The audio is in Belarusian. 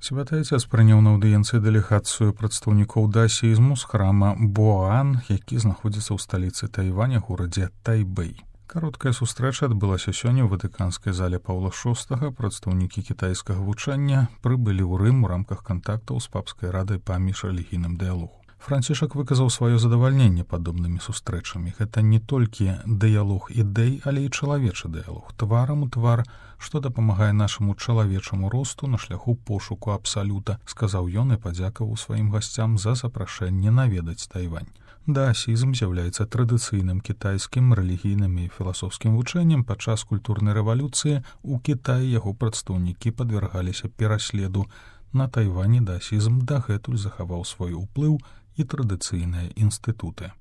Святы Отец прыняў на аўдыенцыі дэлегацыю прадстаўнікоў даасізму з храма Боан, які знаходзіцца ў сталіцы Тайваня, горадзе Тайбэй. Кароткая сустрэча адбылася сёння ў ватыканскай зале Паўла VI. Прадстаўнікі кітайскага вучання прыбылі ў Рым у рамках кантактаў з папскай радай па міжрэлігійным дыялогу. Францішак выказаў сваё задавальненне падобнымі сустрэчамі. Гэта не толькі дыялог ідэй, але і чалавечы дыялог, тварам у твар, што дапамагае нашаму чалавечаму росту на шляху пошуку абсалюта, сказаў ён і падзякаваў сваім гасцям за запрашэнне наведаць Тайвань. Даасізм з'яўляецца традыцыйным кітайскім рэлігійным і філасофскім вучэннем. Падчас культурнай рэвалюцыі ў Кітаі яго прадстаўнікі падвяргаліся пераследу. На Тайвані даасізм дагэтуль захаваў свой уплыў і традыцыйныя інстытуты.